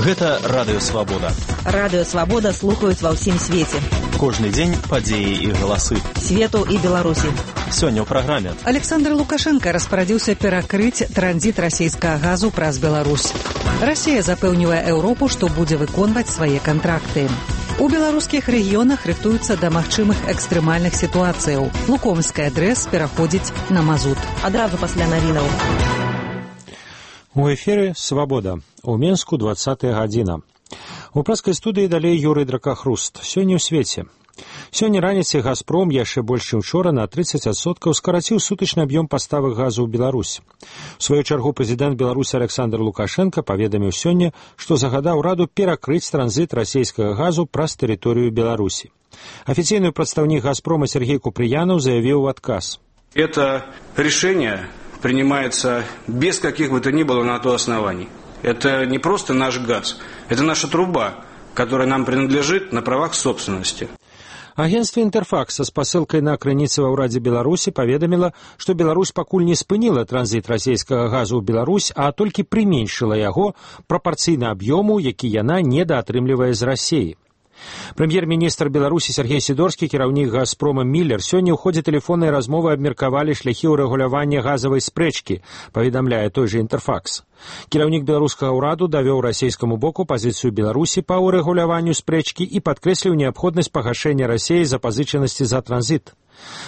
Гэта Радыё Свабода. Радыё Свабода слухаюць ва ўсім свеце. Кожны дзень падзеі і галасы. Свету і Беларусі. Сёння ў праграме. Александр Лукашенко распарадзіўся перакрыць транзіт расійскага газу праз Беларусь. Расія запэўнівае Еўропу, што будзе выконваць свае кантракты. У беларускіх рэгіёнах рыхтуюцца да магчымых экстрэмальных сітуацыяў. Лукомскі адрэс пераходзіць на мазут. Адразу пасля навінаў. У эфіры «Свабода». У Менску 20-я гадзіна. У праскай студыі далей Юрый Дракахруст. Сёння ў свеце. Сёння раніцай «Газпром» яшчэ больш, чым учора на 30% скараціў сутачны аб'ём паставак газу ў Беларусь. У сваю чаргу прэзідэнт Беларусі Александр Лукашенко паведаміў сёння, што загадаў ураду перакрыць транзіт расійскага газу праз тэрыторыю Беларусі. Афіцыйны прадстаўнік «Газпрома» Сергей Куприянов заявіў в адказ. Это решение принимается без каких бы то ни было на то оснований. Это не просто наш газ, это наша труба, которая нам принадлежит на правах собственности. Агентство «Интерфакс» со спасылкай на крыніцы ва ўрадзе Беларусі паведаміла, што Беларусь пакуль не спыніла транзіт расійскага газу ў Беларусь, а толькі прыменшыла яго прапарцыйна аб'ёму, які яна недаатрымлівае з Расіі. Прэм'ер-міністр Беларусі Сергей Сідорскі, кіраўнік «Газпрома» Міллер сёння ў ходзе тэлефоннай размовы абмеркавалі шляхі ўрэгулявання газавай спрэчкі, паведамляе той жа «Интерфакс». Кіраўнік беларускага ўраду давёў расійскаму боку пазіцыю Беларусі па ўрэгуляванню спрэчкі і падкрэсліў неабходнасць пагашэння Расіі запазычанасці за транзіт.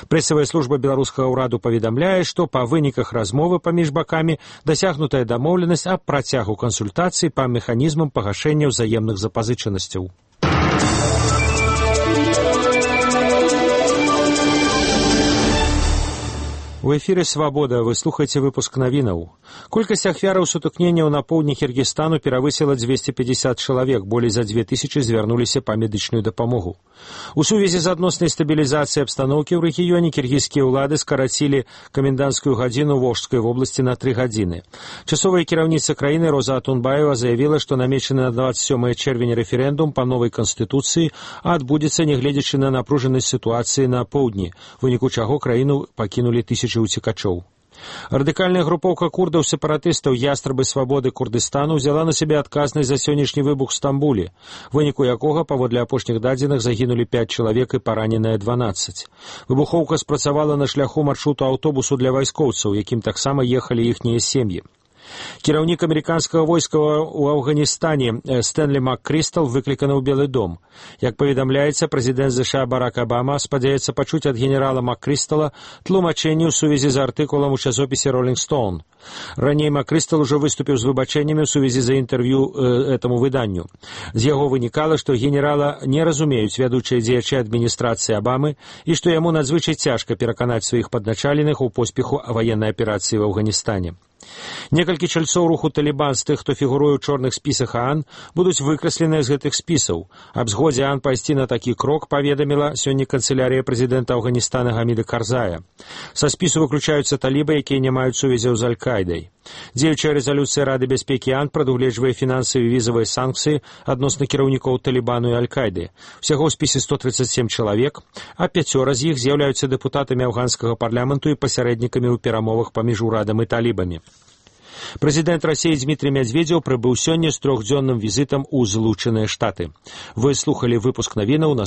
Прэсавая служба беларускага ўраду паведамляе, што па выніках размовы паміж бакамі дасягнутая дамоўленасць аб працягу кансультацый па механізмам пагашэння ўзаемных запазычанасцяў. У эфіры «Свабода» вы слухаеце выпуск навінаў. Колькасць ахвяраў сутыкненняў на поўдні Кіргізстану перавысіла 250 чалавек, болей за 2000 звярнуліся па медычную дапамогу. У сувязі з адноснай стабілізацыяй абстаноўкі ў рэгіёне кіргізскія ўлады скарацілі каменданцкую гадзіну ў Волжскай вобласці на 3 гадзіны. Часовая кіраўніца краіны Роза Атунбаева заявіла, што намечаны на 27 чэрвеня рэферэндум па новай канстытуцыі адбудзецца, нягледзячы на напружанасць сітуацыі на поўдні, у выніку чаго краіну пакінулі тысячы уцекачоў. Радыкальная групоўка курдаў-сепаратыстаў «Ястрабы свабоды Курдыстану» взяла на сябе адказнасць за сённяшні выбух в Стамбуле, у выніку якога, паводле апошніх дадзеных, загінулі 5 чалавек і параненыя 12. Выбухоўка спрацавала на шляху маршруту аўтобусу для вайскоўцаў, якім таксама ехалі іхнія сем'і. Кіраўнік амерыканскага войска ў Афганістане Стэнлі МакКрыстал выкліканы ў Белы дом. Як паведамляецца, прэзідэнт США Барак Абама спадзяецца пачуць ад генерала МакКрыстала тлумачэнне ў сувязі з артыкулам у часопісе «Роллинг Стоун». Раней МакКрыстал ужо выступіў з выбачэннямі ў сувязі за інтэрв'ю этаму выданню. З яго вынікала, што генерала не разумеюць вядучыя дзеячы адміністрацыі Абамы і што яму надзвычай цяжка пераканаць сваіх падначаленых у поспеху ваеннай аперацыі в Афганістане. Некалькі чальцоў руху «Талібан» з тых, хто фігуруе ў чорных спісах ААН, будуць выкрасленыя з гэтых спісаў. Аб згодзе ААН пайсці на такі крок паведаміла сёння канцылярыя прэзідэнта Афганістана Гаміда Карзая. Са спісу выключаюцца талібы, якія не маюць сувязяў з Аль-Кайдай. Дзеючая рэзалюцыя Рады бяспекі ААН прадугледжвае фінансавыя і візавыя санкцыі адносна кіраўнікоў Талібану і Аль-Кайды. Усяго ў спісе 137 чалавек, а 5 з іх з'яўляюцца дэпутатамі афганскага парламенту і пасярэднікамі ў перамовах паміж урадам і талібамі. Прэзідэнт Расіі Дмітрий Медведзеў прыбыў сёння з 3-дзённым візітам у Злучаныя Штаты. Вы слухалі выпуск навінаў